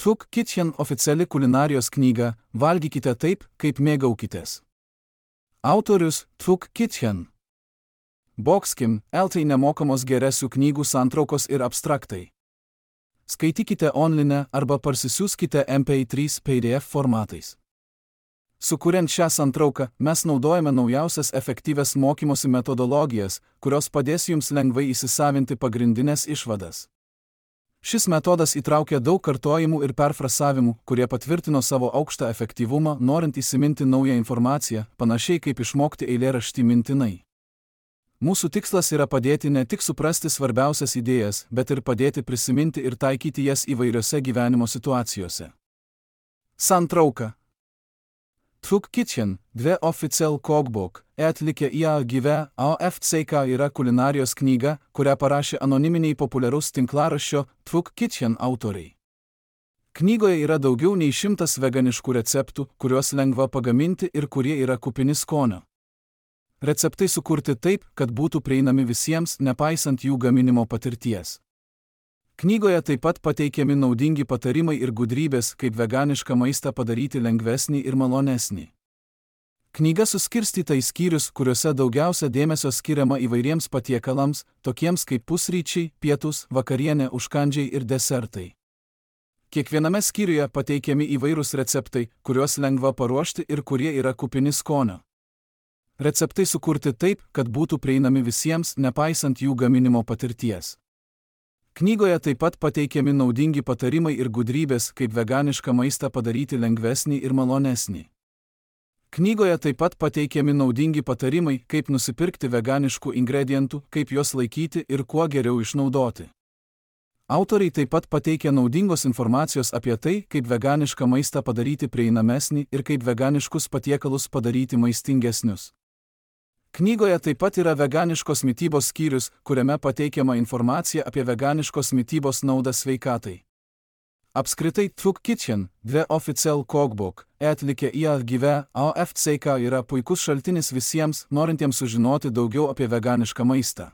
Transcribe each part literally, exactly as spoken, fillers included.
Truk Kitchen oficiali kulinarijos knyga, valgykite taip, kaip mėgaukitės. Autorius Truk Kitchen. Boxkim, eltai nemokamos geresių knygų santraukos ir abstraktai. Skaitykite online arba parsisiųskite M P trys P D F formatais. Sukuriant šią santrauką, mes naudojame naujausias efektyvias mokymosi metodologijas, kurios padės jums lengvai įsisavinti pagrindinės išvadas. Šis metodas įtraukia daug kartojimų ir perfrasavimų, kurie patvirtino savo aukštą efektyvumą, norint įsiminti naują informaciją, panašiai kaip išmokti eilėraštį mintinai. Mūsų tikslas yra padėti ne tik suprasti svarbiausias idėjas, bet ir padėti prisiminti ir taikyti jas įvairiose gyvenimo situacijose. Santrauka. Truk Kitchen, dve Official Cookbook, atlikė I A G V A F C K yra kulinarijos knyga, kurią parašė anoniminiai populiarus tinklaraščio Truk Kitchen autoriai. Knygoje yra daugiau nei šimtas veganiškų receptų, kuriuos lengva pagaminti ir kurie yra kupini skonio. Receptai sukurti taip, kad būtų prieinami visiems, nepaisant jų gaminimo patirties. Knygoje taip pat pateikiami naudingi patarimai ir gudrybės, kaip veganišką maistą padaryti lengvesnį ir malonesnį. Knyga suskirstyta į skyrius, kuriuose daugiausia dėmesio skiriama įvairiems patiekalams, tokiems kaip pusryčiai, pietūs, vakarienė, užkandžiai ir desertai. Kiekviename skyriuje pateikiami įvairūs receptai, kuriuos lengva paruošti ir kurie yra kupini skonio. Receptai sukurti taip, kad būtų prieinami visiems, nepaisant jų gaminimo patirties. Knygoje taip pat pateikiami naudingi patarimai ir gudrybės, kaip veganišką maistą padaryti lengvesnį ir malonesnį. Knygoje taip pat pateikiami naudingi patarimai, kaip nusipirkti veganiškų ingredientų, kaip juos laikyti ir kuo geriau išnaudoti. Autoriai taip pat pateikia naudingos informacijos apie tai, kaip veganišką maistą padaryti prieinamesnį ir kaip veganiškus patiekalus padaryti maistingesnius. Knygoje taip pat yra veganiškos mitybos skyrius, kuriame pateikiama informacija apie veganiškos mitybos naudą sveikatai. Apskritai Truk Kitchen, dve Official Cookbook, atlikė I A G V A F C K yra puikus šaltinis visiems, norintiems sužinoti daugiau apie veganišką maistą.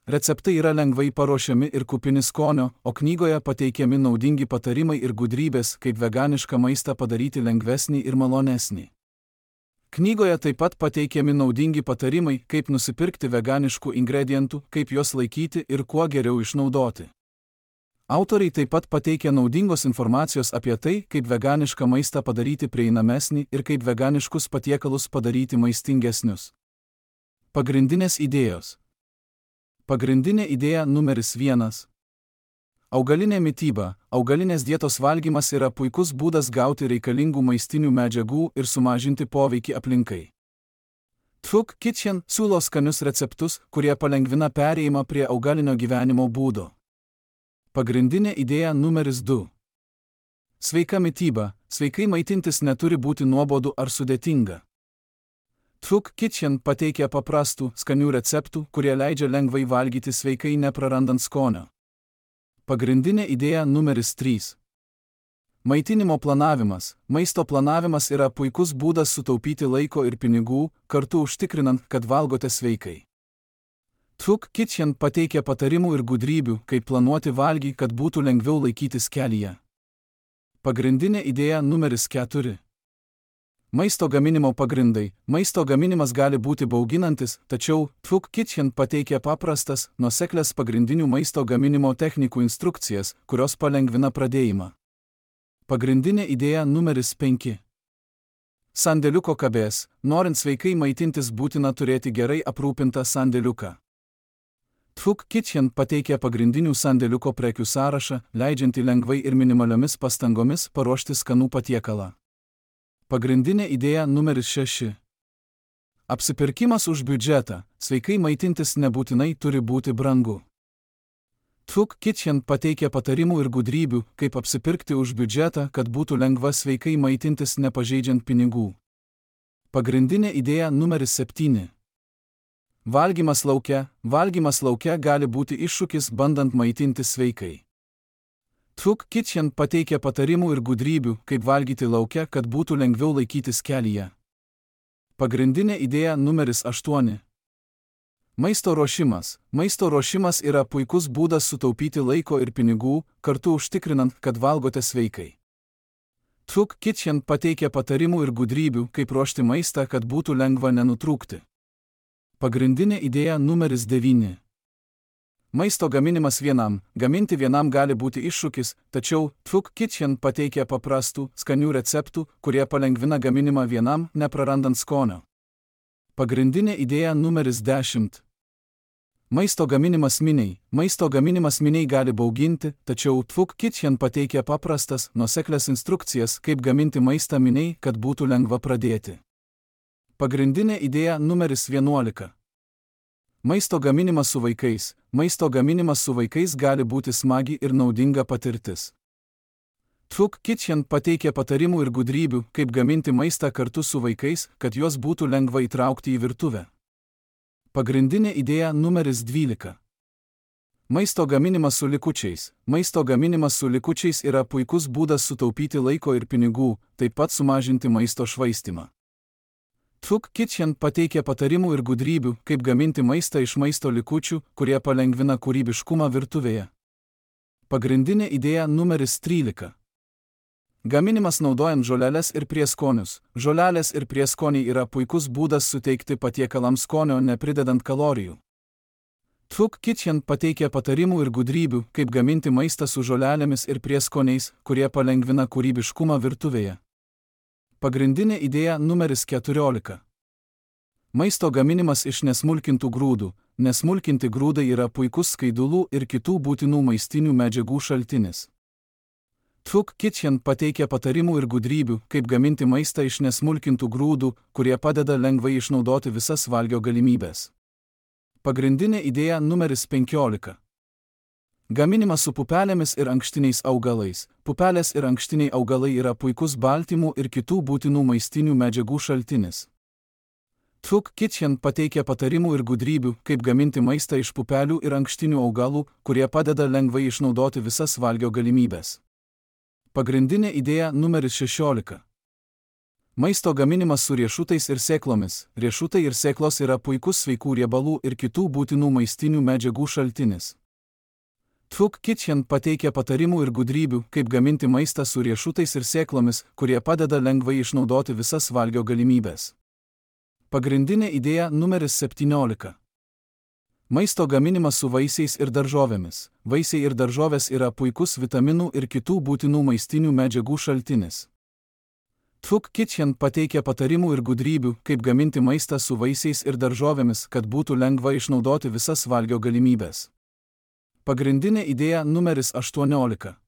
Receptai yra lengvai paruošiami ir kupini skonio, o knygoje pateikiami naudingi patarimai ir gudrybės, kaip veganišką maistą padaryti lengvesnį ir malonesnį. Knygoje taip pat pateikiami naudingi patarimai, kaip nusipirkti veganiškų ingredientų, kaip juos laikyti ir kuo geriau išnaudoti. Autoriai taip pat pateikia naudingos informacijos apie tai, kaip veganišką maistą padaryti prieinamesnį ir kaip veganiškus patiekalus padaryti maistingesnius. Pagrindinės idėjos. Pagrindinė idėja numeris vienas. Augalinė mityba. Augalinės dietos valgymas yra puikus būdas gauti reikalingų maistinių medžiagų ir sumažinti poveikį aplinkai. Truk Kitchen siūlo skanius receptus, kurie palengvina perėjimą prie augalinio gyvenimo būdo. Pagrindinė idėja numeris du. Sveika mityba. Sveikai maitintis neturi būti nuobodu ar sudėtinga. Truk Kitchen pateikia paprastų, skanių receptų, kurie leidžia lengvai valgyti sveikai neprarandant skonio. Pagrindinė idėja numeris trys. Maitinimo planavimas. Maisto planavimas yra puikus būdas sutaupyti laiko ir pinigų, kartu užtikrinant, kad valgote sveikai. Truk Kitchen pateikia patarimų ir gudrybių, kaip planuoti valgį, kad būtų lengviau laikytis kelyje. Pagrindinė idėja numeris keturi. Maisto gaminimo pagrindai. Maisto gaminimas gali būti bauginantis, tačiau Truk Kitchen pateikia paprastas, nuoseklias pagrindinių maisto gaminimo technikų instrukcijas, kurios palengvina pradėjimą. Pagrindinė idėja numeris penki. Sandėliuko kabės. Norint sveikai maitintis būtina turėti gerai aprūpintą sandėliuką. Truk Kitchen pateikia pagrindinių sandėliuko prekių sąrašą, leidžiantį lengvai ir minimaliomis pastangomis paruošti skanų patiekalą. Pagrindinė idėja numeris šeši. Apsipirkimas už biudžetą. Sveikai maitintis nebūtinai turi būti brangu. Truk Kitchen pateikia patarimų ir gudrybių, kaip apsipirkti už biudžetą, kad būtų lengva sveikai maitintis nepažeidžiant pinigų. Pagrindinė idėja numeris septyni. Valgymas lauke. Valgymas lauke gali būti iššūkis bandant maitintis sveikai. Truk Kitchen pateikia patarimų ir gudrybių, kaip valgyti lauke, kad būtų lengviau laikytis kelyje. Pagrindinė idėja numeris aštuoni. Maisto ruošimas. Maisto ruošimas yra puikus būdas sutaupyti laiko ir pinigų, kartu užtikrinant, kad valgote sveikai. Truk Kitchen pateikia patarimų ir gudrybių, kaip ruošti maistą, kad būtų lengva nenutrūkti. Pagrindinė idėja numeris devyni. Maisto gaminimas vienam. Gaminti vienam gali būti iššūkis, tačiau Truk Kitchen pateikia paprastų, skanių receptų, kurie palengvina gaminimą vienam, neprarandant skonio. Pagrindinė idėja numeris dešimt. Maisto gaminimas miniai. Maisto gaminimas miniai gali bauginti, tačiau Truk Kitchen pateikia paprastas, nuoseklias instrukcijas, kaip gaminti maistą miniai, kad būtų lengva pradėti. Pagrindinė idėja numeris vienuolika. Maisto gaminimas su vaikais. Maisto gaminimas su vaikais gali būti smagi ir naudinga patirtis. Truk Kitchen pateikia patarimų ir gudrybių, kaip gaminti maistą kartu su vaikais, kad juos būtų lengva įtraukti į virtuvę. Pagrindinė idėja numeris dvylika. Maisto gaminimas su likučiais. Maisto gaminimas su likučiais yra puikus būdas sutaupyti laiko ir pinigų, taip pat sumažinti maisto švaistymą. Truk Kitchen pateikia patarimų ir gudrybių, kaip gaminti maistą iš maisto likučių, kurie palengvina kūrybiškumą virtuvėje. Pagrindinė idėja numeris trylika. Gaminimas naudojant žoleles ir prieskonius. Žolelės ir prieskoniai yra puikus būdas suteikti patiekalams skonio, nepridedant kalorijų. Truk Kitchen pateikia patarimų ir gudrybių, kaip gaminti maistą su žolelėmis ir prieskoniais, kurie palengvina kūrybiškumą virtuvėje. Pagrindinė idėja numeris keturiolika. Maisto gaminimas iš nesmulkintų grūdų. Nesmulkinti grūdai yra puikus skaidulų ir kitų būtinų maistinių medžiagų šaltinis. Truk Kitchen pateikia patarimų ir gudrybių, kaip gaminti maistą iš nesmulkintų grūdų, kurie padeda lengvai išnaudoti visas valgio galimybės. Pagrindinė idėja numeris penkiolika. Gaminimas su pupelėmis ir ankštiniais augalais. Pupelės ir ankštiniai augalai yra puikus baltymų ir kitų būtinų maistinių medžiagų šaltinis. Truk Kitchen pateikia patarimų ir gudrybių, kaip gaminti maistą iš pupelių ir ankštinių augalų, kurie padeda lengvai išnaudoti visas valgio galimybės. Pagrindinė idėja numeris šešiolika. Maisto gaminimas su riešutais ir sėklomis. Riešutai ir sėklos yra puikus sveikų riebalų ir kitų būtinų maistinių medžiagų šaltinis. Truk Kitchen pateikia patarimų ir gudrybių, kaip gaminti maistą su riešutais ir sėklomis, kurie padeda lengvai išnaudoti visas valgio galimybės. Pagrindinė idėja numeris septyniolika. Maisto gaminimas su vaisiais ir daržovėmis. Vaisiai ir daržovės yra puikus vitaminų ir kitų būtinų maistinių medžiagų šaltinis. Truk Kitchen pateikia patarimų ir gudrybių, kaip gaminti maistą su vaisiais ir daržovėmis, kad būtų lengva išnaudoti visas valgio galimybės. Pagrindinė idėja numeris aštuoniolika.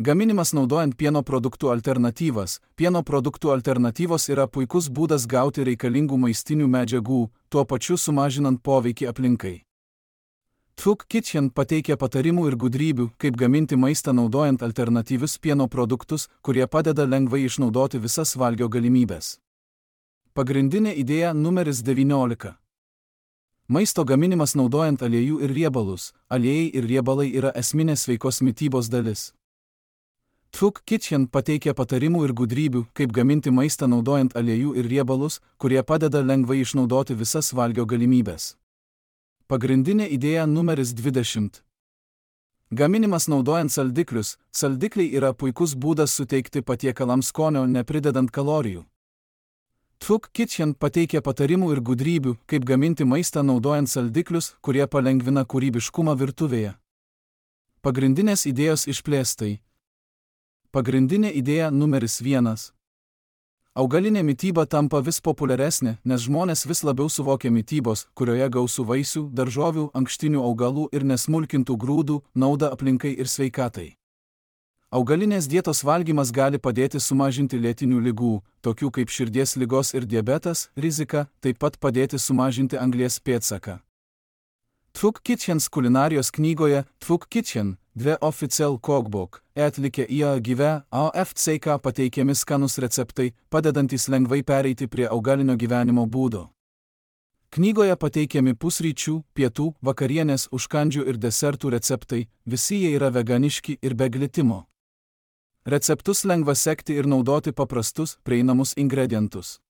Gaminimas naudojant pieno produktų alternatyvas. Pieno produktų alternatyvos yra puikus būdas gauti reikalingų maistinių medžiagų, tuo pačiu sumažinant poveikį aplinkai. Truk Kitchen pateikia patarimų ir gudrybių, kaip gaminti maistą naudojant alternatyvius pieno produktus, kurie padeda lengvai išnaudoti visas valgio galimybės. Pagrindinė idėja numeris devyniolika. Maisto gaminimas naudojant aliejų ir riebalus. Aliejai ir riebalai yra esminė sveikos mitybos dalis. Truk Kitchen pateikia patarimų ir gudrybių, kaip gaminti maistą naudojant aliejų ir riebalus, kurie padeda lengvai išnaudoti visas valgio galimybės. Pagrindinė idėja numeris dvidešimt. Gaminimas naudojant saldiklius. Saldikliai yra puikus būdas suteikti patiekalams skonio, nepridedant kalorijų. Truk Kitchen pateikia patarimų ir gudrybių, kaip gaminti maistą naudojant saldiklius, kurie palengvina kūrybiškumą virtuvėje. Pagrindinės idėjos išplėstai. Pagrindinė idėja numeris vienas. Augalinė mityba tampa vis populiaresnė, nes žmonės vis labiau suvokia mitybos, kurioje gausu vaisių, daržovių, ankštinių augalų ir nesmulkintų grūdų, naudą aplinkai ir sveikatai. Augalinės dietos valgymas gali padėti sumažinti lėtinių ligų, tokių kaip širdies ligos ir diabetas, riziką, taip pat padėti sumažinti anglies pėdsaką. Truk Kitchen kulinarijos knygoje Truk Kitchen, The Official Cookbook, atlikę į gyvę A F C K pateikiami skanus receptai, padedantys lengvai pereiti prie augalinio gyvenimo būdo. Knygoje pateikiami pusryčių, pietų, vakarienės, užkandžių ir desertų receptai, visi jie yra veganiški ir be glitimo. Receptus lengva sekti ir naudoti paprastus, prieinamus ingredientus.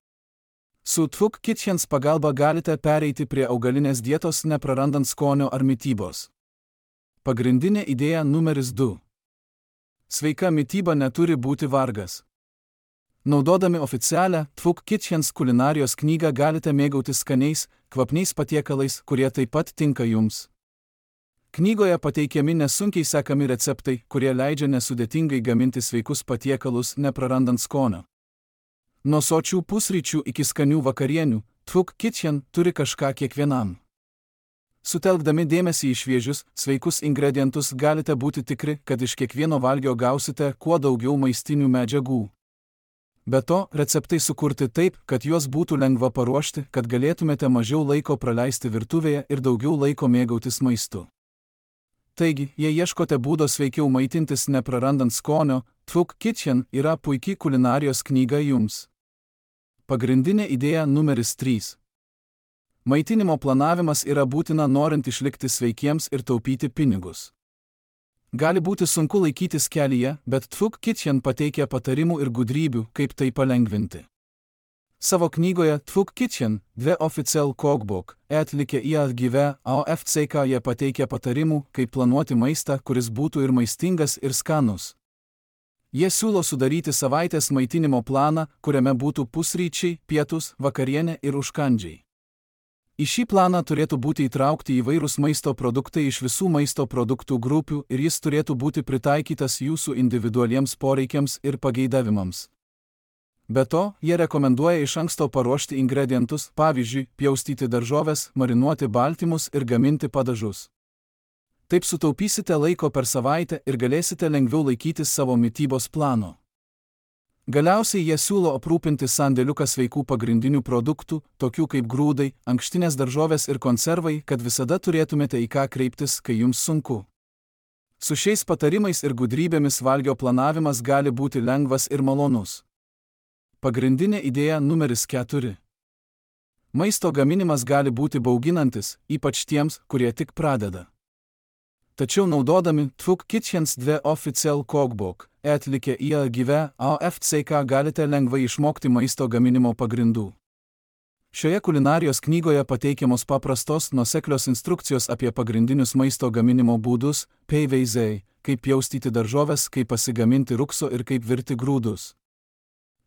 Su Tvuk Kitchens pagalba galite pereiti prie augalinės dietos neprarandant skonio ar mitybos. Pagrindinė idėja numeris du. Sveika mityba neturi būti vargas. Naudodami oficialią Tvuk Kitchens kulinarijos knygą galite mėgautis skaniais, kvapniais patiekalais, kurie taip pat tinka jums. Knygoje pateikiami nesunkiai sekami receptai, kurie leidžia nesudėtingai gaminti sveikus patiekalus neprarandant skonio. Nuo sočių pusryčių iki skanių vakarienių, Tvuk Kitchen turi kažką kiekvienam. Sutelkdami dėmesį į šviežius, sveikus ingredientus galite būti tikri, kad iš kiekvieno valgio gausite kuo daugiau maistinių medžiagų. Be to, receptai sukurti taip, kad juos būtų lengva paruošti, kad galėtumėte mažiau laiko praleisti virtuvėje ir daugiau laiko mėgautis maistu. Taigi, jei ieškote būdo sveikiau maitintis neprarandant skonio, Tvuk Kitchen yra puikiai kulinarijos knyga jums. Pagrindinė idėja numeris trys. Maitinimo planavimas yra būtina norint išlikti sveikiems ir taupyti pinigus. Gali būti sunku laikytis kelyje, bet Tvuk Kitchen pateikia patarimų ir gudrybių, kaip tai palengvinti. Savo knygoje Tvuk Kitchen, The Official Cookbook, atlikę į atgyvę A F C K jie pateikia patarimų, kaip planuoti maistą, kuris būtų ir maistingas, ir skanus. Jie siūlo sudaryti savaitės maitinimo planą, kuriame būtų pusryčiai, pietus, vakarienė ir užkandžiai. Į šį planą turėtų būti įtraukti įvairūs maisto produktai iš visų maisto produktų grupių ir jis turėtų būti pritaikytas jūsų individualiems poreikiams ir pageidavimams. Be to, jie rekomenduoja iš anksto paruošti ingredientus, pavyzdžiui, pjaustyti daržoves, marinuoti baltymus ir gaminti padažus. Taip sutaupysite laiko per savaitę ir galėsite lengviau laikytis savo mitybos plano. Galiausiai jie siūlo aprūpinti sandėliuką sveikų pagrindinių produktų, tokių kaip grūdai, ankštinės daržovės ir konservai, kad visada turėtumėte į ką kreiptis, kai jums sunku. Su šiais patarimais ir gudrybėmis valgio planavimas gali būti lengvas ir malonus. Pagrindinė idėja numeris keturi. Maisto gaminimas gali būti bauginantis, ypač tiems, kurie tik pradeda. Tačiau naudodami Tvuk Kitchens The Official Cookbook, atlikę į atgyvę A F C K galite lengvai išmokti maisto gaminimo pagrindų. Šioje kulinarijos knygoje pateikiamos paprastos, nuoseklios instrukcijos apie pagrindinius maisto gaminimo būdus, peiveizai, kaip pjaustyti daržoves, kaip pasigaminti rukso ir kaip virti grūdus.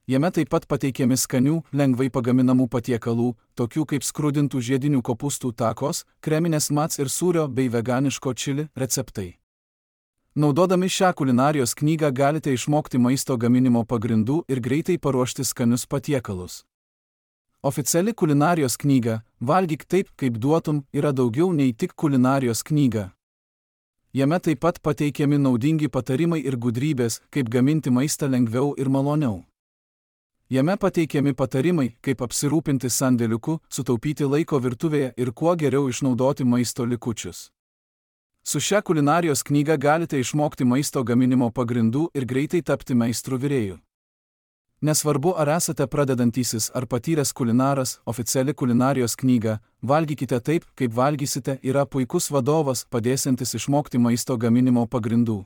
Jame taip pat pateikiami skanių, lengvai pagaminamų patiekalų, tokių kaip skrudintų žiedinių kopūstų takos, kreminės mats ir sūrio bei veganiško čili receptai. Naudodami šią kulinarijos knygą galite išmokti maisto gaminimo pagrindų ir greitai paruošti skanius patiekalus. Oficiali kulinarijos knyga Valgyk taip, kaip duotum yra daugiau nei tik kulinarijos knyga. Jame taip pat pateikiami naudingi patarimai ir gudrybės, kaip gaminti maistą lengviau ir maloniau. Jame pateikiami patarimai, kaip apsirūpinti sandėliuku, sutaupyti laiko virtuvėje ir kuo geriau išnaudoti maisto likučius. Su šia kulinarijos knyga galite išmokti maisto gaminimo pagrindų ir greitai tapti meistrų virėjų. Nesvarbu, ar esate pradedantysis ar patyręs kulinaras, oficiali kulinarijos knyga Valgykite taip, kaip valgysite yra puikus vadovas, padėsiantis išmokti maisto gaminimo pagrindų.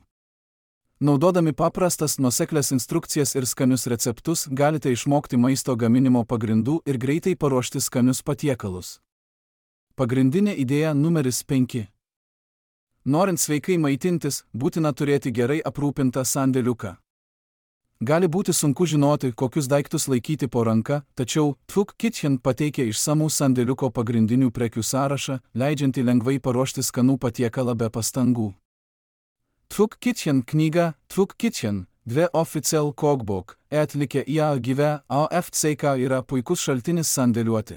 Naudodami paprastas, nuoseklias instrukcijas ir skanius receptus galite išmokti maisto gaminimo pagrindų ir greitai paruošti skanius patiekalus. Pagrindinė idėja numeris penki. Norint sveikai maitintis, būtina turėti gerai aprūpintą sandėliuką. Gali būti sunku žinoti, kokius daiktus laikyti po ranka, tačiau Tvuk Kitchen pateikia išsamų sandėliuko pagrindinių prekių sąrašą, leidžiantį lengvai paruošti skanų patiekalą be pastangų. Tvuk Kitchen knyga Tvuk Kitchen, The Official Cookbook, atlikę į atgyvę A F C K yra puikus šaltinis sandėliuoti.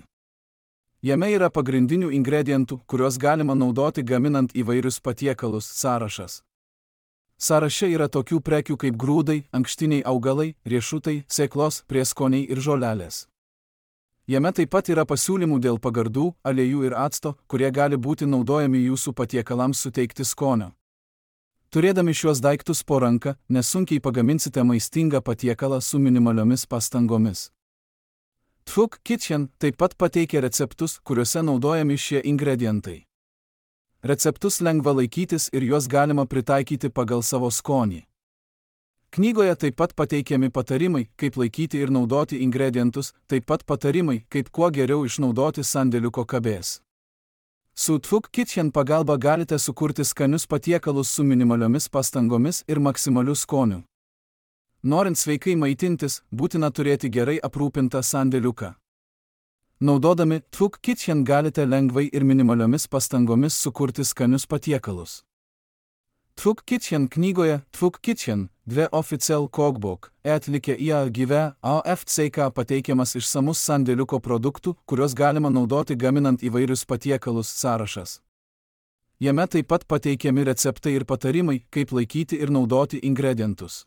Jame yra pagrindinių ingredientų, kuriuos galima naudoti gaminant įvairius patiekalus sąrašas. Sąraše yra tokių prekių kaip grūdai, ankštiniai augalai, riešutai, sėklos, prieskoniai ir žolelės. Jame taip pat yra pasiūlymų dėl pagardų, aliejų ir acto, kurie gali būti naudojami jūsų patiekalams suteikti skonio. Turėdami šiuos daiktus po ranka, nesunkiai pagaminsite maistingą patiekalą su minimaliomis pastangomis. Tvuk Kitchen taip pat pateikia receptus, kuriuose naudojami šie ingredientai. Receptus lengva laikytis ir juos galima pritaikyti pagal savo skonį. Knygoje taip pat pateikiami patarimai, kaip laikyti ir naudoti ingredientus, taip pat patarimai, kaip kuo geriau išnaudoti sandėliuko kabės. Su Tvuk Kitchen pagalba galite sukurti skanius patiekalus su minimaliomis pastangomis ir maksimaliu skoniu. Norint sveikai maitintis, būtina turėti gerai aprūpintą sandėliuką. Naudodami Tvuk Kitchen galite lengvai ir minimaliomis pastangomis sukurti skanius patiekalus. Tvuk Kitchen knygoje Tvuk Kitchen, dve Official Cookbook, atlikė į gyve A F C K pateikiamas išsamus sandėliuko produktų, kuriuos galima naudoti gaminant įvairius patiekalus sąrašas. Jame taip pat pateikiami receptai ir patarimai, kaip laikyti ir naudoti ingredientus.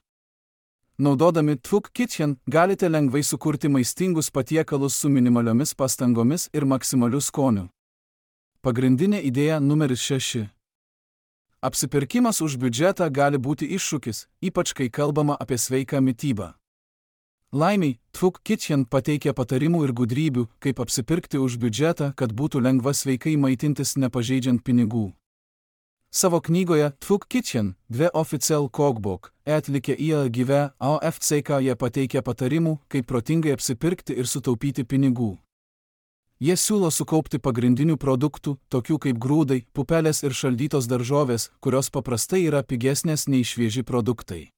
Naudodami Tvuk Kitchen galite lengvai sukurti maistingus patiekalus su minimaliomis pastangomis ir maksimaliu skoniu. Pagrindinė idėja numeris šeši. Apsipirkimas už biudžetą gali būti iššūkis, ypač kai kalbama apie sveiką mitybą. Laimiai, Tvuk Kitchen pateikia patarimų ir gudrybių, kaip apsipirkti už biudžetą, kad būtų lengva sveikai maitintis nepažeidžiant pinigų. Savo knygoje Tvuk Kitchen, dve Official Cookbook, atlikė į gyve A F C K jie pateikia patarimų, kaip protingai apsipirkti ir sutaupyti pinigų. Jie siūlo sukaupti pagrindinių produktų, tokių kaip grūdai, pupelės ir šaldytos daržovės, kurios paprastai yra pigesnės nei švieži produktai.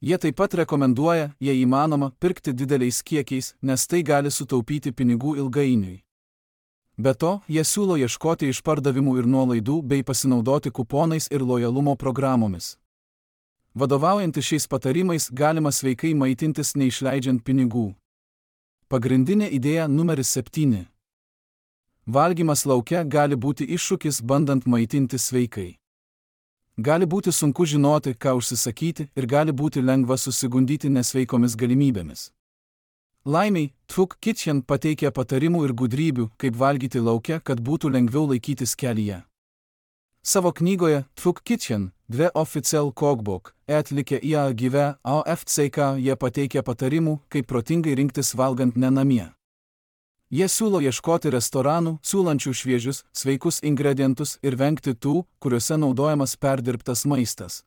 Jie taip pat rekomenduoja, jei įmanoma, pirkti dideliais kiekiais, nes tai gali sutaupyti pinigų ilgainiui. Be to, jie siūlo ieškoti išpardavimų ir nuolaidų bei pasinaudoti kuponais ir lojalumo programomis. Vadovaujantis šiais patarimais galima sveikai maitintis neišleidžiant pinigų. Pagrindinė idėja numeris septyni. Valgymas lauke gali būti iššūkis bandant maitinti sveikai. Gali būti sunku žinoti, ką užsisakyti ir gali būti lengva susigundyti nesveikomis galimybėmis. Laimiai, Tvuk Kitchen pateikia patarimų ir gudrybių, kaip valgyti lauke, kad būtų lengviau laikytis kelyje. Savo knygoje Tvuk Kitchen, dve Official Cookbook, atlikė į gyve A F C K jie pateikia patarimų, kaip protingai rinktis valgant ne namie. Jie siūlo ieškoti restoranų, siūlančių šviežius, sveikus ingredientus ir vengti tų, kuriuose naudojamas perdirbtas maistas.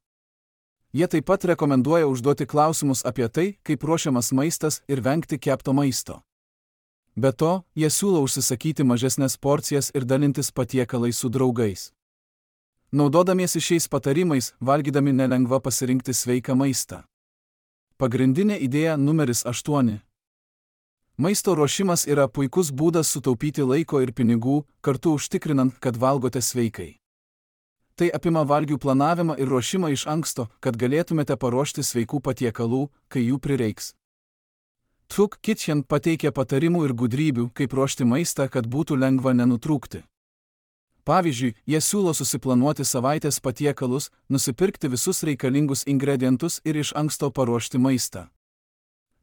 Jie taip pat rekomenduoja užduoti klausimus apie tai, kaip ruošiamas maistas ir vengti kepto maisto. Be to, jie siūlo užsisakyti mažesnes porcijas ir dalintis patiekalais su draugais. Naudodamiesi šiais patarimais, valgydami nelengva pasirinkti sveiką maistą. Pagrindinė idėja numeris aštuoni. Maisto ruošimas yra puikus būdas sutaupyti laiko ir pinigų, kartu užtikrinant, kad valgote sveikai. Tai apima valgių planavimą ir ruošimą iš anksto, kad galėtumėte paruošti sveikų patiekalų, kai jų prireiks. Tvuk Kitchen pateikia patarimų ir gudrybių, kaip ruošti maistą, kad būtų lengva nenutrūkti. Pavyzdžiui, jie siūlo susiplanuoti savaitės patiekalus, nusipirkti visus reikalingus ingredientus ir iš anksto paruošti maistą.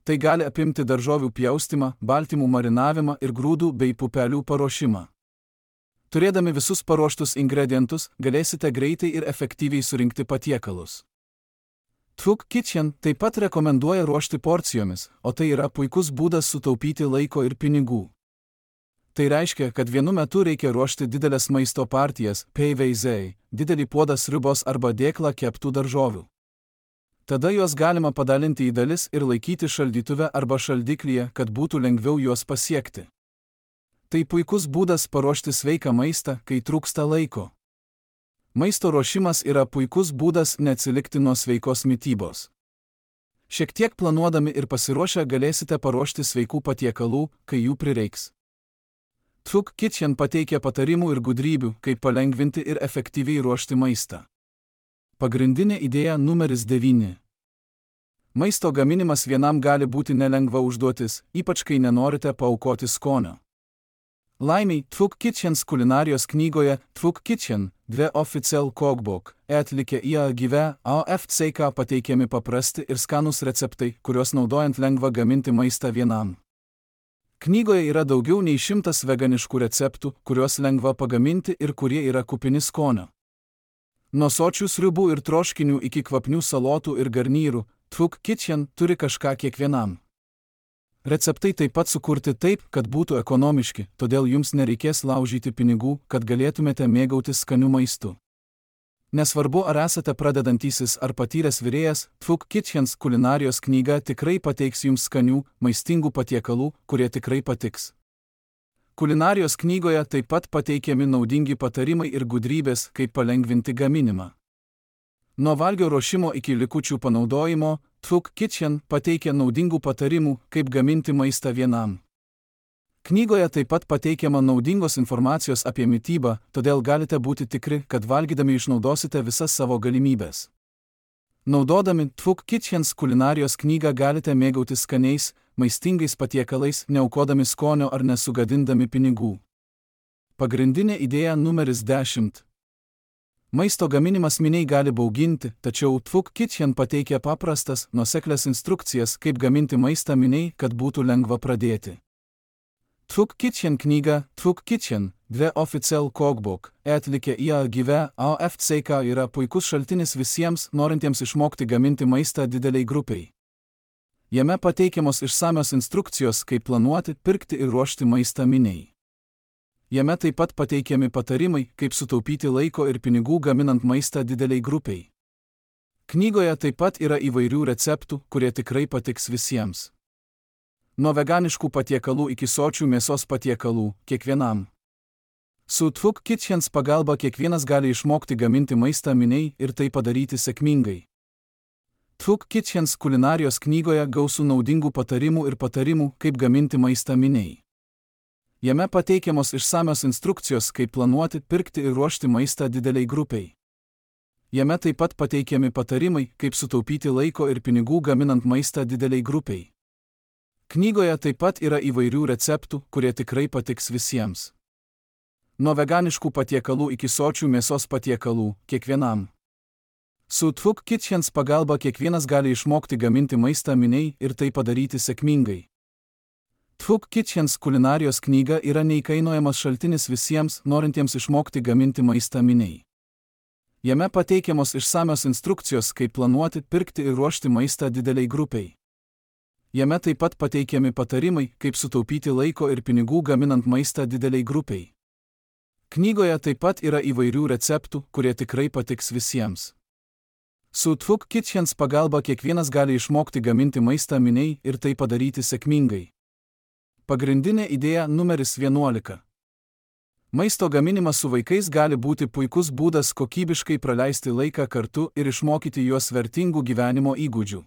Tai gali apimti daržovių pjaustymą, baltymų marinavimą ir grūdų bei pupelių paruošimą. Turėdami visus paruoštus ingredientus, galėsite greitai ir efektyviai surinkti patiekalus. Tvuk Kitchen taip pat rekomenduoja ruošti porcijomis, o tai yra puikus būdas sutaupyti laiko ir pinigų. Tai reiškia, kad vienu metu reikia ruošti didelės maisto partijas, P V Z, didelį puodą sriubos arba dėklą keptų daržovių. Tada juos galima padalinti į dalis ir laikyti šaldytuve arba šaldiklyje, kad būtų lengviau juos pasiekti. Tai puikus būdas paruošti sveiką maistą, kai trūksta laiko. Maisto ruošimas yra puikus būdas neatsilikti nuo sveikos mitybos. Šiek tiek planuodami ir pasiruošę galėsite paruošti sveikų patiekalų, kai jų prireiks. Tvuk Kitchen pateikia patarimų ir gudrybių, kaip palengvinti ir efektyviai ruošti maistą. Pagrindinė idėja numeris devyni. Maisto gaminimas vienam gali būti nelengva užduotis, ypač kai nenorite paaukoti skonio. Laimiai, Tvuk Kitchens kulinarijos knygoje Tvuk Kitchen, dve Official Cookbook, atlikė į gyve A F C K pateikiami paprasti ir skanūs receptai, kuriuos naudojant lengva gaminti maistą vienam. Knygoje yra daugiau nei šimtas veganiškų receptų, kuriuos lengva pagaminti ir kurie yra kupini skonio. Nuo sočių sriubų ir troškinių iki kvapnių salotų ir garnyrų, Tvuk Kitchen turi kažką kiekvienam. Receptai taip pat sukurti taip, kad būtų ekonomiški, todėl jums nereikės laužyti pinigų, kad galėtumėte mėgautis skaniu maistu. Nesvarbu, ar esate pradedantysis ar patyręs virėjas, Tfuk Kitchens kulinarijos knyga tikrai pateiks jums skanių, maistingų patiekalų, kurie tikrai patiks. Kulinarijos knygoje taip pat pateikiami naudingi patarimai ir gudrybės, kaip palengvinti gaminimą. Nuo valgio ruošimo iki likučių panaudojimo, Tfuk Kitchen pateikia naudingų patarimų, kaip gaminti maistą vienam. Knygoje taip pat pateikiama naudingos informacijos apie mitybą, todėl galite būti tikri, kad valgydami išnaudosite visas savo galimybės. Naudodami Tfuk Kitchens kulinarijos knygą galite mėgautis skaniais, maistingais patiekalais, neaukodami skonio ar nesugadindami pinigų. Pagrindinė idėja numeris dešimt. Maisto gaminimas miniai gali bauginti, tačiau Tfuk Kitchen pateikia paprastas, nuoseklias instrukcijas, kaip gaminti maistą miniai, kad būtų lengva pradėti. Tfuk Kitchen knyga Tfuk Kitchen, dve Official Cookbook, atlikė I A G V A F C K yra puikus šaltinis visiems, norintiems išmokti gaminti maistą dideliai grupiai. Jame pateikiamos išsamios instrukcijos, kaip planuoti, pirkti ir ruošti maistą miniai. Jame taip pat pateikiami patarimai, kaip sutaupyti laiko ir pinigų gaminant maistą dideliai grupiai. Knygoje taip pat yra įvairių receptų, kurie tikrai patiks visiems. Nuo veganiškų patiekalų iki sočių mėsos patiekalų, kiekvienam. Su Tfuk Kitchens pagalba kiekvienas gali išmokti gaminti maistą miniai ir tai padaryti sėkmingai. Tfuk Kitchens kulinarijos knygoje gausu naudingų patarimų ir patarimų, kaip gaminti maistą miniai. Jame pateikiamos išsamios instrukcijos, kaip planuoti, pirkti ir ruošti maistą dideliai grupiai. Jame taip pat pateikiami patarimai, kaip sutaupyti laiko ir pinigų gaminant maistą dideliai grupiai. Knygoje taip pat yra įvairių receptų, kurie tikrai patiks visiems. Nuo veganiškų patiekalų iki sočių mėsos patiekalų, kiekvienam. Su Tfuk Kitchens pagalba kiekvienas gali išmokti gaminti maistą miniai ir tai padaryti sėkmingai. Tfuk Kitchens kulinarijos knyga yra neįkainojamas šaltinis visiems, norintiems išmokti gaminti maistą miniai. Jame pateikiamos išsamios instrukcijos, kaip planuoti, pirkti ir ruošti maistą dideliai grupiai. Jame taip pat pateikiami patarimai, kaip sutaupyti laiko ir pinigų gaminant maistą dideliai grupiai. Knygoje taip pat yra įvairių receptų, kurie tikrai patiks visiems. Su Tfuk Kitchens pagalba kiekvienas gali išmokti gaminti maistą miniai ir tai padaryti sėkmingai. Pagrindinė idėja numeris vienuolika. Maisto gaminimas su vaikais gali būti puikus būdas kokybiškai praleisti laiką kartu ir išmokyti juos vertingų gyvenimo įgūdžių.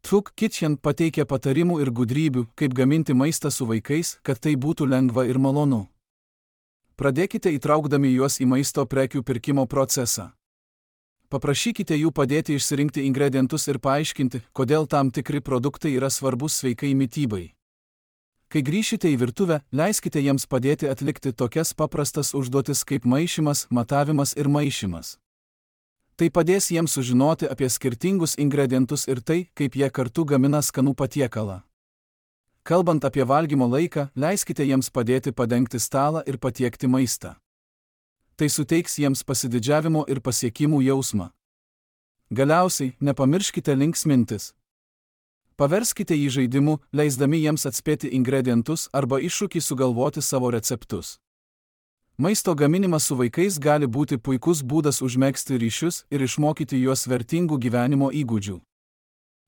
Tfuk Kitchen pateikia patarimų ir gudrybių, kaip gaminti maistą su vaikais, kad tai būtų lengva ir malonu. Pradėkite įtraukdami juos į maisto prekių pirkimo procesą. Paprašykite jų padėti išsirinkti ingredientus ir paaiškinti, kodėl tam tikri produktai yra svarbus sveikai mitybai. Kai grįšite į virtuvę, leiskite jiems padėti atlikti tokias paprastas užduotis kaip maišymas, matavimas ir maišymas. Tai padės jiems sužinoti apie skirtingus ingredientus ir tai, kaip jie kartu gamina skanų patiekalą. Kalbant apie valgymo laiką, leiskite jiems padėti padengti stalą ir patiekti maistą. Tai suteiks jiems pasididžiavimo ir pasiekimų jausmą. Galiausiai, nepamirškite linksmintis. Paverskite jį žaidimu, leisdami jiems atspėti ingredientus arba iššūkį sugalvoti savo receptus. Maisto gaminimas su vaikais gali būti puikus būdas užmegzti ryšius ir išmokyti juos vertingų gyvenimo įgūdžių.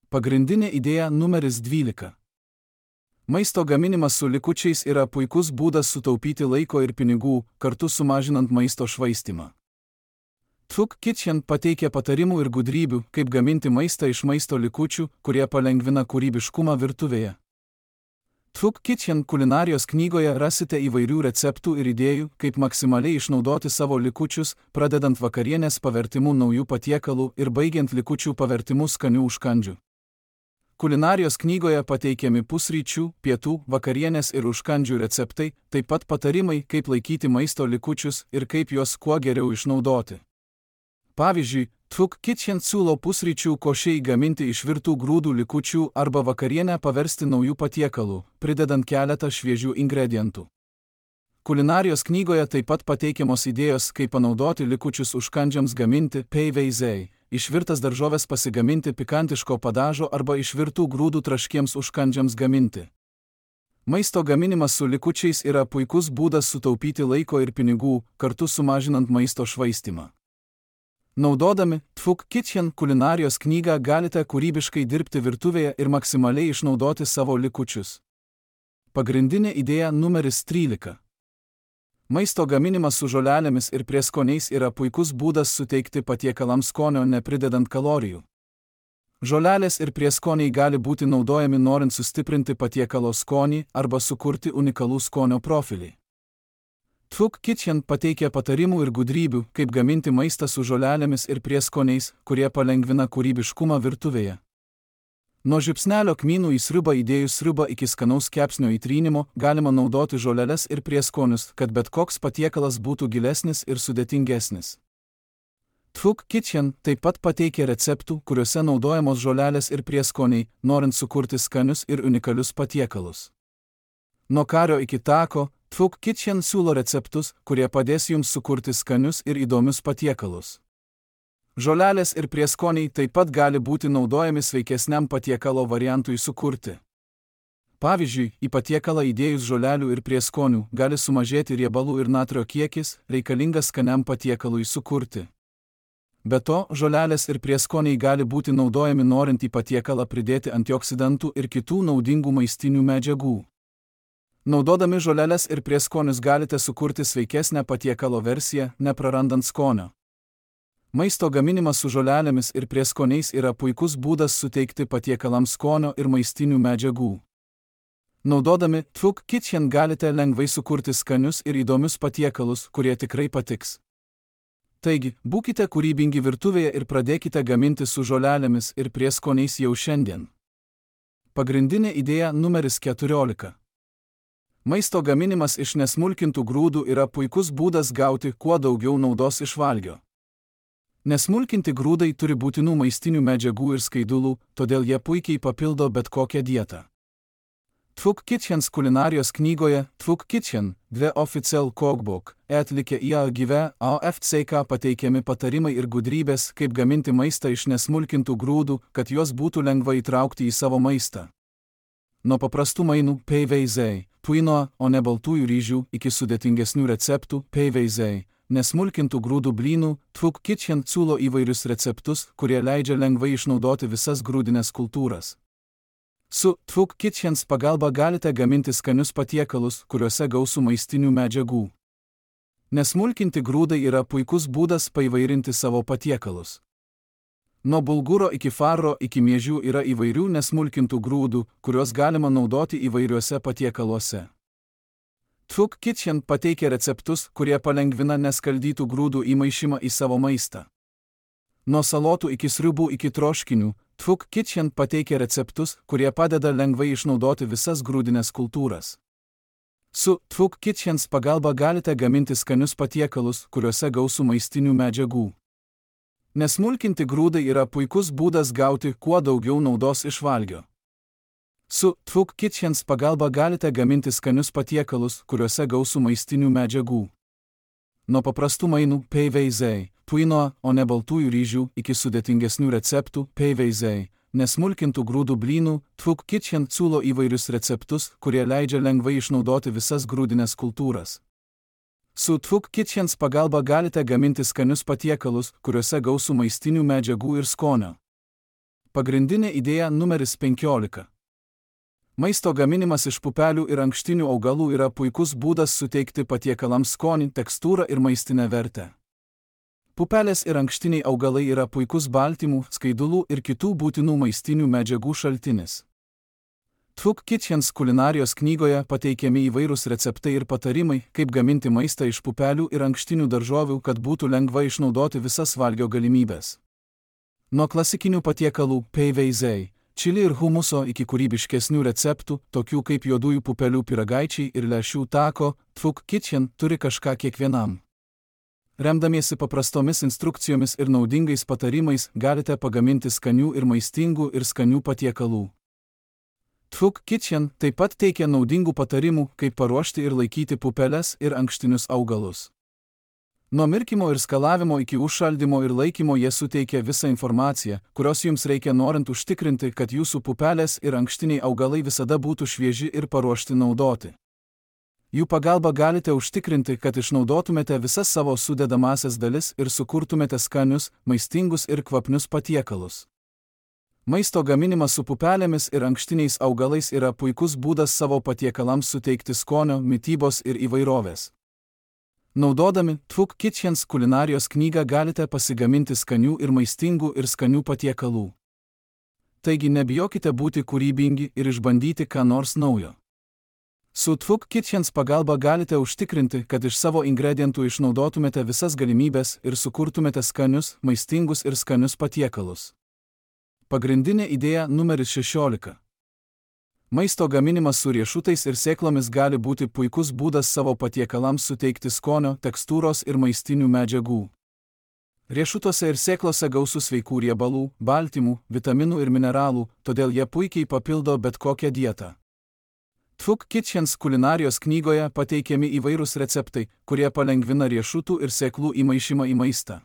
Pagrindinė idėja numeris dvylika. Maisto gaminimas su likučiais yra puikus būdas sutaupyti laiko ir pinigų, kartu sumažinant maisto švaistymą. Tfuk Kitchen pateikia patarimų ir gudrybių, kaip gaminti maistą iš maisto likučių, kurie palengvina kūrybiškumą virtuvėje. Tfuk Kitchen kulinarijos knygoje rasite įvairių receptų ir idėjų, kaip maksimaliai išnaudoti savo likučius, pradedant vakarienės pavertimu naujų patiekalų ir baigiant likučių pavertimu skanių užkandžių. Kulinarijos knygoje pateikiami pusryčių, pietų, vakarienės ir užkandžių receptai, taip pat patarimai, kaip laikyti maisto likučius ir kaip juos kuo geriau išnaudoti. Pavyzdžiui, Tfuk Kitchen siūlo pusryčių košei gaminti iš virtų grūdų likučių arba vakarienę paversti naujų patiekalų, pridedant keletą šviežių ingredientų. Kulinarijos knygoje taip pat pateikiamos idėjos, kaip panaudoti likučius užkandžiams gaminti peiveizei, išvirtas daržovės pasigaminti pikantiško padažo arba išvirtų grūdų traškiems užkandžiams gaminti. Maisto gaminimas su likučiais yra puikus būdas sutaupyti laiko ir pinigų, kartu sumažinant maisto švaistymą. Naudodami Tfuk Kitchen kulinarijos knygą galite kūrybiškai dirbti virtuvėje ir maksimaliai išnaudoti savo likučius. Pagrindinė idėja numeris trylika. Maisto gaminimas su žolelėmis ir prieskoniais yra puikus būdas suteikti patiekalams skonio nepridedant kalorijų. Žolelės ir prieskoniai gali būti naudojami norint sustiprinti patiekalo skonį arba sukurti unikalų skonio profilį. Tfuk Kitchen pateikia patarimų ir gudrybių, kaip gaminti maistą su žolelėmis ir prieskoniais, kurie palengvina kūrybiškumą virtuvėje. Nuo žiupsnelio kmynų į sriubą įdėjus sriubą iki skanaus kepsnio įtrynimo galima naudoti žoleles ir prieskonius, kad bet koks patiekalas būtų gilesnis ir sudėtingesnis. Tfuk Kitchen taip pat pateikia receptų, kuriuose naudojamos žolelės ir prieskoniai, norint sukurti skanius ir unikalius patiekalus. Nuo kario iki tako, Tfuk Kitchen siūlo receptus, kurie padės jums sukurti skanius ir įdomius patiekalus. Žolelės ir prieskoniai taip pat gali būti naudojami sveikesniam patiekalo variantui sukurti. Pavyzdžiui, į patiekalą įdėjus žolelių ir prieskonių gali sumažėti riebalų ir natrio kiekis, reikalingas skaniam patiekalui sukurti. Be to, žolelės ir prieskoniai gali būti naudojami norint į patiekalą pridėti antioksidantų ir kitų naudingų maistinių medžiagų. Naudodami žoleles ir prieskonius galite sukurti sveikesnę patiekalo versiją, neprarandant skonio. Maisto gaminimas su žolelėmis ir prieskoniais yra puikus būdas suteikti patiekalams skonio ir maistinių medžiagų. Naudodami Tfuk Kitchen galite lengvai sukurti skanius ir įdomius patiekalus, kurie tikrai patiks. Taigi, būkite kūrybingi virtuvėje ir pradėkite gaminti su žolelėmis ir prieskoniais jau šiandien. Pagrindinė idėja numeris keturiolika. Maisto gaminimas iš nesmulkintų grūdų yra puikus būdas gauti kuo daugiau naudos iš valgio. Nesmulkinti grūdai turi būtinų maistinių medžiagų ir skaidulų, todėl jie puikiai papildo bet kokią dietą. Tfuk Kitchens kulinarijos knygoje Tfuk Kitchen, dve Official Cookbook, atlikę į A G V A F C K pateikiami patarimai ir gudrybės, kaip gaminti maistą iš nesmulkintų grūdų, kad juos būtų lengva įtraukti į savo maistą. Nuo paprastų mainų P V Z, puino, o ne baltųjų ryžių, iki sudėtingesnių receptų P V Z, nesmulkintų grūdų blynų, Tfuk Kitchen siūlo įvairius receptus, kurie leidžia lengvai išnaudoti visas grūdines kultūras. Su Tfuk Kitchens pagalba galite gaminti skanius patiekalus, kuriuose gausu maistinių medžiagų. Nesmulkinti grūdai yra puikus būdas paįvairinti savo patiekalus. Nuo bulguro iki farro iki miežių yra įvairių nesmulkintų grūdų, kuriuos galima naudoti įvairiuose patiekaluose. Tfuk Kitchen pateikia receptus, kurie palengvina neskaldytų grūdų įmaišymą į savo maistą. Nuo salotų iki sriubų iki troškinių, Tfuk Kitchen pateikia receptus, kurie padeda lengvai išnaudoti visas grūdines kultūras. Su Tfuk Kitchens pagalba galite gaminti skanius patiekalus, kuriuose gausu maistinių medžiagų. Nesmulkinti grūdai yra puikus būdas gauti kuo daugiau naudos iš valgio. Su Tfuk Kitchens pagalba galite gaminti skanius patiekalus, kuriuose gausu maistinių medžiagų. Nuo paprastų mainų P V Z, puino, o ne baltųjų ryžių, iki sudėtingesnių receptų P V Z, nesmulkintų grūdų blynų, Tfuk Kitchen siūlo įvairius receptus, kurie leidžia lengvai išnaudoti visas grūdines kultūras. Su Tfuk Kitchens pagalba galite gaminti skanius patiekalus, kuriuose gausu maistinių medžiagų ir skonio. Pagrindinė idėja numeris penkiolika. Maisto gaminimas iš pupelių ir ankštinių augalų yra puikus būdas suteikti patiekalams skonį, tekstūrą ir maistinę vertę. Pupelės ir ankštiniai augalai yra puikus baltymų, skaidulų ir kitų būtinų maistinių medžiagų šaltinis. Tfuk Kitchens kulinarijos knygoje pateikiami įvairūs receptai ir patarimai, kaip gaminti maistą iš pupelių ir ankštinių daržovių, kad būtų lengva išnaudoti visas valgio galimybės. Nuo klasikinių patiekalų P V Z, čili ir humuso iki kūrybiškesnių receptų, tokių kaip juodųjų pupelių pyragaičiai ir lęšių tako, Tfuk Kitchen turi kažką kiekvienam. Remdamiesi paprastomis instrukcijomis ir naudingais patarimais, galite pagaminti skanių ir maistingų ir skanių patiekalų. Tfuk Kitchen taip pat teikia naudingų patarimų, kaip paruošti ir laikyti pupeles ir ankštinius augalus. Nuo mirkymo ir skalavimo iki užšaldymo ir laikymo jie suteikia visą informaciją, kurios jums reikia norint užtikrinti, kad jūsų pupelės ir ankštiniai augalai visada būtų švieži ir paruošti naudoti. Jų pagalba galite užtikrinti, kad išnaudotumėte visas savo sudedamąsias dalis ir sukurtumėte skanius, maistingus ir kvapnius patiekalus. Maisto gaminimas su pupelėmis ir ankštiniais augalais yra puikus būdas savo patiekalams suteikti skonio, mitybos ir įvairovės. Naudodami Tvuk Kitchens kulinarijos knygą galite pasigaminti skanių ir maistingų ir skanių patiekalų. Taigi nebijokite būti kūrybingi ir išbandyti ką nors naujo. Su Tvuk Kitchens pagalba galite užtikrinti, kad iš savo ingredientų išnaudotumėte visas galimybės ir sukurtumėte skanius, maistingus ir skanius patiekalus. Pagrindinė idėja numeris šešiolika. Maisto gaminimas su riešutais ir sėklomis gali būti puikus būdas savo patiekalams suteikti skonio, tekstūros ir maistinių medžiagų. Riešutuose ir sėklose gausu sveikų riebalų, baltymų, vitaminų ir mineralų, todėl jie puikiai papildo bet kokią dietą. Tvuk Kitchens kulinarijos knygoje pateikiami įvairūs receptai, kurie palengvina riešutų ir sėklų įmaišymą į maistą.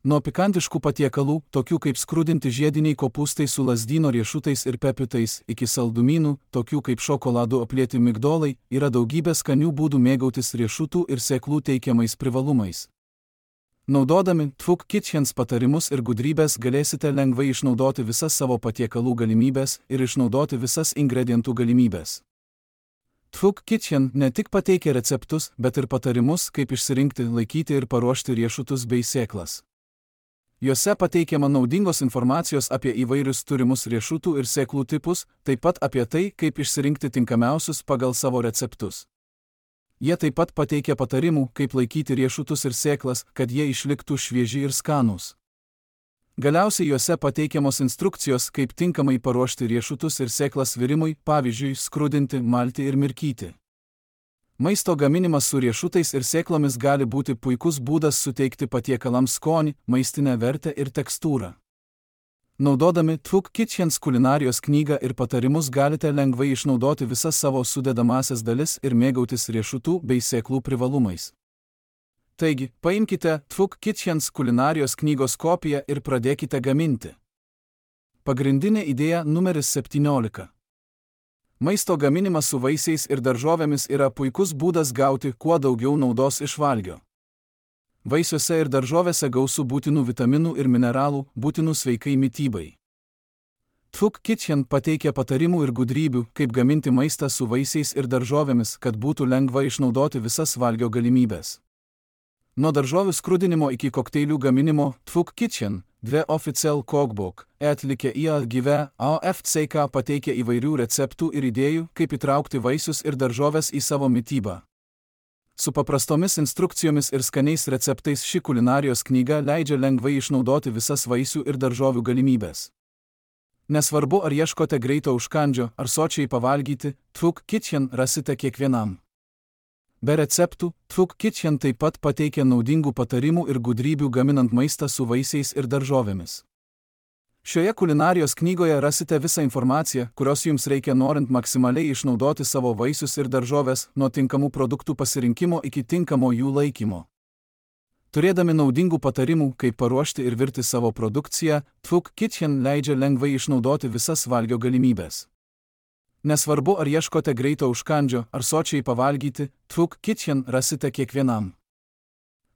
Nuo pikantiškų patiekalų, tokių kaip skrudinti žiediniai kopūstai su lazdyno riešutais ir pepitais, iki saldumynų, tokių kaip šokoladu aplieti migdolai, yra daugybė skanių būdų mėgautis riešutų ir sėklų teikiamais privalumais. Naudodami Tvuk Kitchens patarimus ir gudrybės galėsite lengvai išnaudoti visas savo patiekalų galimybės ir išnaudoti visas ingredientų galimybės. Tvuk Kitchen ne tik pateikia receptus, bet ir patarimus, kaip išsirinkti, laikyti ir paruošti riešutus bei sėklas. Juose pateikiama naudingos informacijos apie įvairius turimus riešutų ir sėklų tipus, taip pat apie tai, kaip išsirinkti tinkamiausius pagal savo receptus. Jie taip pat pateikia patarimų, kaip laikyti riešutus ir sėklas, kad jie išliktų švieži ir skanūs. Galiausiai juose pateikiamos instrukcijos, kaip tinkamai paruošti riešutus ir sėklas virimui, pavyzdžiui, skrudinti, malti ir mirkyti. Maisto gaminimas su riešutais ir sėklomis gali būti puikus būdas suteikti patiekalams skonį, maistinę vertę ir tekstūrą. Naudodami Tvuk Kitchens kulinarijos knygą ir patarimus galite lengvai išnaudoti visas savo sudedamąsias dalis ir mėgautis riešutų bei sėklų privalumais. Taigi, paimkite Tvuk Kitchens kulinarijos knygos kopiją ir pradėkite gaminti. Pagrindinė idėja numeris septyniolika. Maisto gaminimas su vaisiais ir daržovėmis yra puikus būdas gauti kuo daugiau naudos iš valgio. Vaisiuose ir daržovėse gausu būtinų vitaminų ir mineralų, būtinų sveikai mitybai. Tvuk Kitchen pateikia patarimų ir gudrybių, kaip gaminti maistą su vaisiais ir daržovėmis, kad būtų lengva išnaudoti visas valgio galimybės. Nuo daržovių skrudinimo iki kokteilių gaminimo, Tvuk Kitchen, dve Official Cookbook, atlikę į gyvę A F C K pateikia įvairių receptų ir idėjų, kaip įtraukti vaisius ir daržovės į savo mitybą. Su paprastomis instrukcijomis ir skaniais receptais ši kulinarijos knyga leidžia lengvai išnaudoti visas vaisių ir daržovių galimybės. Nesvarbu, ar ieškote greito užkandžio, ar sočiai pavalgyti, Tvuk Kitchen rasite kiekvienam. Be receptų, Tvuk Kitchen taip pat pateikia naudingų patarimų ir gudrybių gaminant maistą su vaisiais ir daržovėmis. Šioje kulinarijos knygoje rasite visą informaciją, kurios jums reikia norint maksimaliai išnaudoti savo vaisius ir daržovės, nuo tinkamų produktų pasirinkimo iki tinkamo jų laikymo. Turėdami naudingų patarimų, kaip paruošti ir virti savo produkciją, Tvuk Kitchen leidžia lengvai išnaudoti visas valgio galimybės. Nesvarbu, ar ieškote greito užkandžio, ar sočiai pavalgyti, Tvuk Kitchen rasite kiekvienam.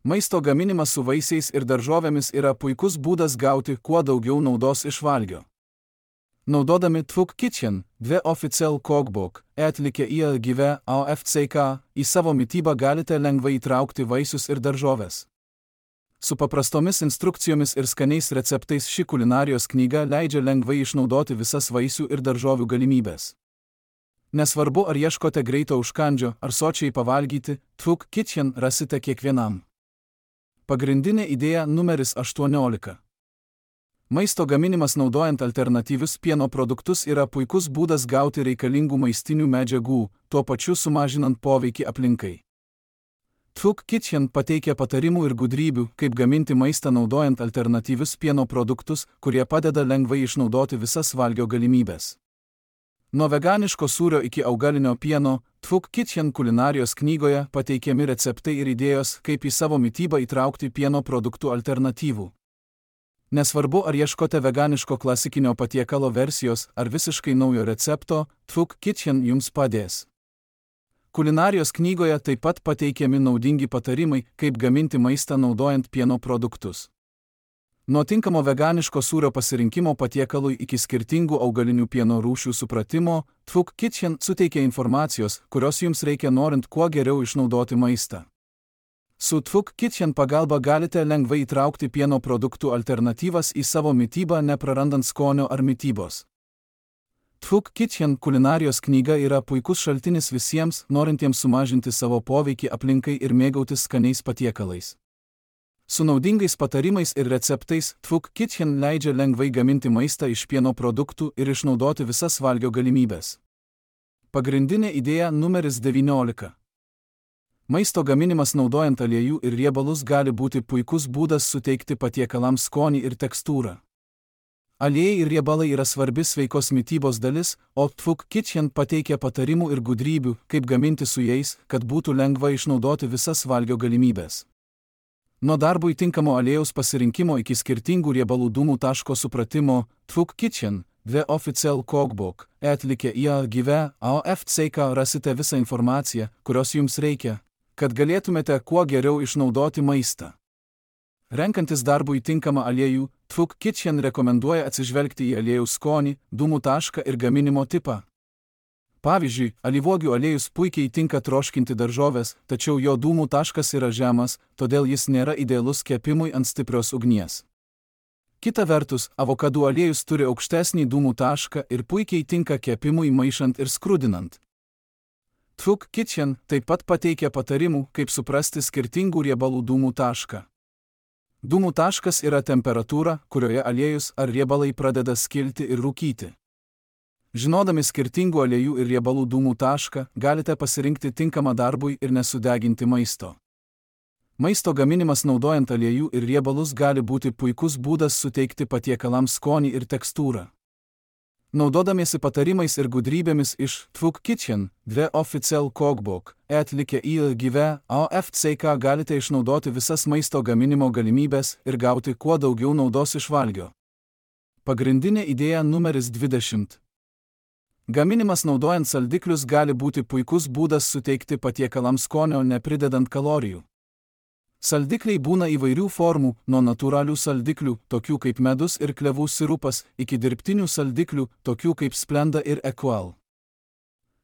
Maisto gaminimas su vaisiais ir daržovėmis yra puikus būdas gauti kuo daugiau naudos iš valgio. Naudodami Tvuk Kitchen, dve Official Cookbook, atlikę į gyvę A F C K, į savo mitybą galite lengvai įtraukti vaisius ir daržovės. Su paprastomis instrukcijomis ir skaniais receptais ši kulinarijos knyga leidžia lengvai išnaudoti visas vaisių ir daržovių galimybės. Nesvarbu, ar ieškote greito užkandžio, ar sočiai pavalgyti, Tvuk Kitchen rasite kiekvienam. Pagrindinė idėja numeris aštuoniolika. Maisto gaminimas naudojant alternatyvius pieno produktus yra puikus būdas gauti reikalingų maistinių medžiagų, tuo pačiu sumažinant poveikį aplinkai. Tvuk Kitchen pateikia patarimų ir gudrybių, kaip gaminti maistą naudojant alternatyvius pieno produktus, kurie padeda lengvai išnaudoti visas valgio galimybės. Nuo veganiško sūrio iki augalinio pieno, Tvuk Kitchen kulinarijos knygoje pateikiami receptai ir idėjos, kaip į savo mitybą įtraukti pieno produktų alternatyvų. Nesvarbu, ar ieškote veganiško klasikinio patiekalo versijos ar visiškai naujo recepto, Tvuk Kitchen jums padės. Kulinarijos knygoje taip pat pateikiami naudingi patarimai, kaip gaminti maistą naudojant pieno produktus. Nuo tinkamo veganiško sūrio pasirinkimo patiekalui iki skirtingų augalinių pieno rūšių supratimo, Tvuk Kitchen suteikia informacijos, kurios jums reikia norint kuo geriau išnaudoti maistą. Su Tvuk Kitchen pagalba galite lengvai įtraukti pieno produktų alternatyvas į savo mitybą, neprarandant skonio ar mitybos. Tvuk Kitchen kulinarijos knyga yra puikus šaltinis visiems, norintiems sumažinti savo poveikį aplinkai ir mėgautis skaniais patiekalais. Su naudingais patarimais ir receptais, Tvuk Kitchen leidžia lengvai gaminti maistą iš pieno produktų ir išnaudoti visas valgio galimybes. Pagrindinė idėja numeris devyniolika. Maisto gaminimas naudojant aliejų ir riebalus gali būti puikus būdas suteikti patiekalams skonį ir tekstūrą. Aliejai ir riebalai yra svarbi sveikos mitybos dalis, o Tvuk Kitchen pateikia patarimų ir gudrybių, kaip gaminti su jais, kad būtų lengva išnaudoti visas valgio galimybės. Nuo darbui tinkamo aliejaus pasirinkimo iki skirtingų riebalų dūmų taško supratimo, Tvuk Kitchen, The Official Cookbook, atlikę į gyve A O F C K rasite visą informaciją, kurios jums reikia, kad galėtumėte kuo geriau išnaudoti maistą. Renkantis darbui tinkamą aliejų, Tvuk Kitchen rekomenduoja atsižvelgti į aliejaus skonį, dūmų tašką ir gaminimo tipą. Pavyzdžiui, alyvuogių aliejus puikiai tinka troškinti daržoves, tačiau jo dūmų taškas yra žemas, todėl jis nėra idealus kepimui ant stiprios ugnies. Kita vertus, avokadų aliejus turi aukštesnį dūmų tašką ir puikiai tinka kepimui maišant ir skrudinant. Tvuk Kitchen taip pat pateikia patarimų, kaip suprasti skirtingų riebalų dūmų tašką. Dūmų taškas yra temperatūra, kurioje aliejus ar riebalai pradeda skilti ir rūkyti. Žinodami skirtingų aliejų ir riebalų dūmų tašką, galite pasirinkti tinkamą darbui ir nesudeginti maisto. Maisto gaminimas naudojant aliejų ir riebalus gali būti puikus būdas suteikti patiekalams skonį ir tekstūrą. Naudodamiesi patarimais ir gudrybėmis iš Tvuk Kitchen, The Official Cookbook, atlikę į gyve A O F C K galite išnaudoti visas maisto gaminimo galimybės ir gauti kuo daugiau naudos iš valgio. Pagrindinė idėja numeris dvidešimt. Gaminimas naudojant saldiklius gali būti puikus būdas suteikti patiekalams skonio nepridedant kalorijų. Saldikliai būna įvairių formų, nuo natūralių saldiklių, tokių kaip medus ir klevų sirupas, iki dirbtinių saldiklių, tokių kaip Splenda ir Equal.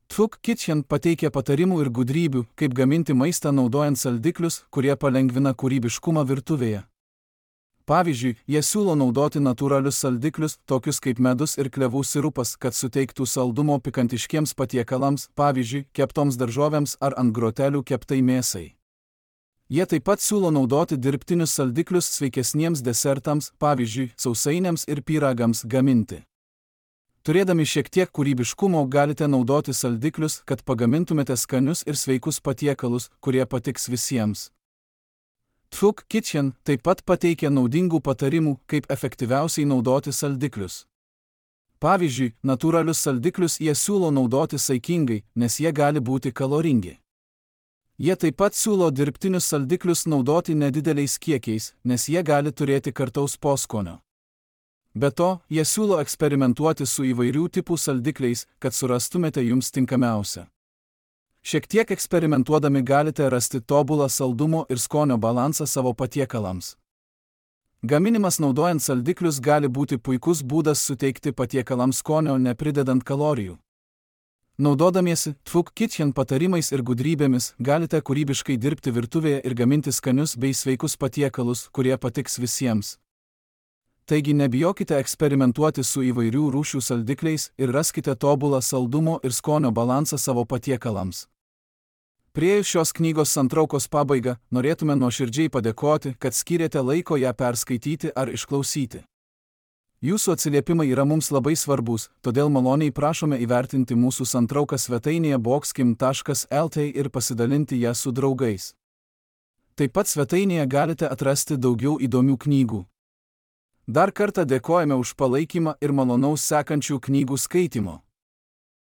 Tvuk Kitchen pateikia patarimų ir gudrybių, kaip gaminti maistą naudojant saldiklius, kurie palengvina kūrybiškumą virtuvėje. Pavyzdžiui, jie siūlo naudoti natūralius saldiklius, tokius kaip medus ir klevų sirupas, kad suteiktų saldumo pikantiškiems patiekalams, pavyzdžiui, keptoms daržovėms ar ant grotelių keptai mėsai. Jie taip pat siūlo naudoti dirbtinius saldiklius sveikesniems desertams, pavyzdžiui, sausainiams ir pyragams gaminti. Turėdami šiek tiek kūrybiškumo galite naudoti saldiklius, kad pagamintumėte skanius ir sveikus patiekalus, kurie patiks visiems. Tvuk Kitchen taip pat pateikia naudingų patarimų, kaip efektyviausiai naudoti saldiklius. Pavyzdžiui, natūralius saldiklius jie siūlo naudoti saikingai, nes jie gali būti kaloringi. Jie taip pat siūlo dirbtinius saldiklius naudoti nedideliais kiekiais, nes jie gali turėti kartaus poskonio. Be to, jie siūlo eksperimentuoti su įvairių tipų saldikliais, kad surastumėte jums tinkamiausią. Šiek tiek eksperimentuodami galite rasti tobulą saldumo ir skonio balansą savo patiekalams. Gaminimas naudojant saldiklius gali būti puikus būdas suteikti patiekalams skonio nepridedant kalorijų. Naudodamiesi Tvuk Kitchen patarimais ir gudrybėmis galite kūrybiškai dirbti virtuvėje ir gaminti skanius bei sveikus patiekalus, kurie patiks visiems. Taigi nebijokite eksperimentuoti su įvairių rūšių saldikliais ir raskite tobulą saldumo ir skonio balansą savo patiekalams. Priėjus šios knygos santraukos pabaigą, norėtume nuoširdžiai padėkoti, kad skyrėte laiko ją perskaityti ar išklausyti. Jūsų atsiliepimai yra mums labai svarbus, todėl maloniai prašome įvertinti mūsų santrauką svetainėje boxkim taškas L T ir pasidalinti ją su draugais. Taip pat svetainėje galite atrasti daugiau įdomių knygų. Dar kartą dėkojame už palaikymą ir malonaus sekančių knygų skaitimo.